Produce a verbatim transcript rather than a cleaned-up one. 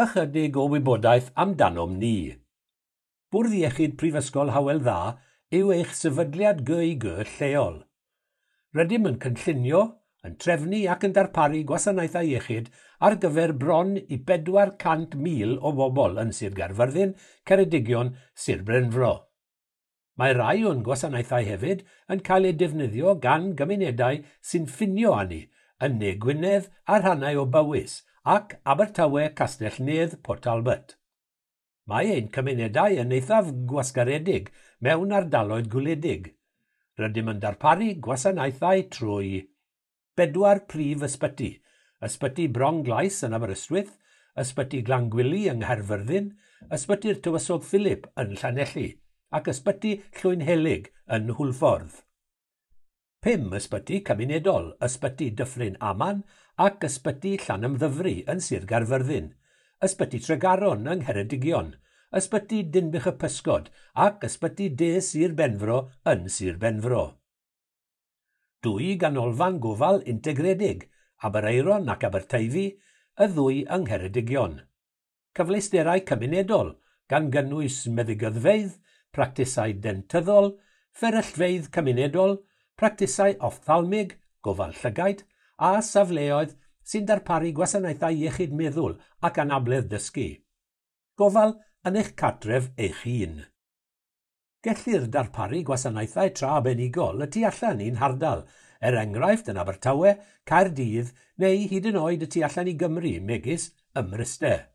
Ychydig o wybodaeth amdanom ni. Bwrdd Iechyd Prifysgol Hywel Dda yw eich sefydliad G I G lleol. Rydym yn cynllunio, yn trefnu ac yn darparu gwasanaethau iechyd ar gyfer bron i bedwar cant mil o bobl yn Sir Gaerfyrddin, Ceredigion, Sir Benfro. Mae rai o'n gwasanaethau hefyd yn cael eu defnyddio gan gymunedau sy'n ffinio â ni yn Ne Gwynedd a rhannau o Bywys ac Abertawe, Castell Nedd, Port Talbot. Mae ein cymunedau yn eithaf gwasgaredig mewn ardaloedd gwledig. Rydym yn darparu gwasanaethau trwy bedwar prif ysbyty: Ysbyty Bronglais yn Aberystwyth, Ysbyty Glangwili yng Nghaerfyrddin, Ysbyty'r Tywysog Philip yn Llanelli ac Ysbyty Llwynhelyg yn Hwlffordd. Pum ysbyty cymunedol: Ysbyty Dyffryn Aman ac Ysbyty Llanymddyfri yn Sir Gaerfyrddin, Ysbyty Tregaron yng Ngheredigion, Ysbyty Dinbych y Pysgod ac Ysbyty De Sir Benfro yn Sir Benfro. Dwy ganolfan gofal integredig, Aberaeron ac Aberteifi, y ddwy yng Ngheredigion. Cyfleusterau cymunedol, gan gynnwys meddygyddfeydd, practisau dentyddol, fferyllfeydd cymunedol, practisau offthalmig, gofal llygaid, a safleoedd sy'n darparu gwasanaethau iechyd meddwl ac anabledd dysgu. Gofal yn eich cartref eich hun. Gellir darparu gwasanaethau tra arbenigol y tu allan i'n hardal, er enghraifft yn Abertawe, Caerdydd neu hyd yn oed y tu allan i Gymru, megis ym Mryste.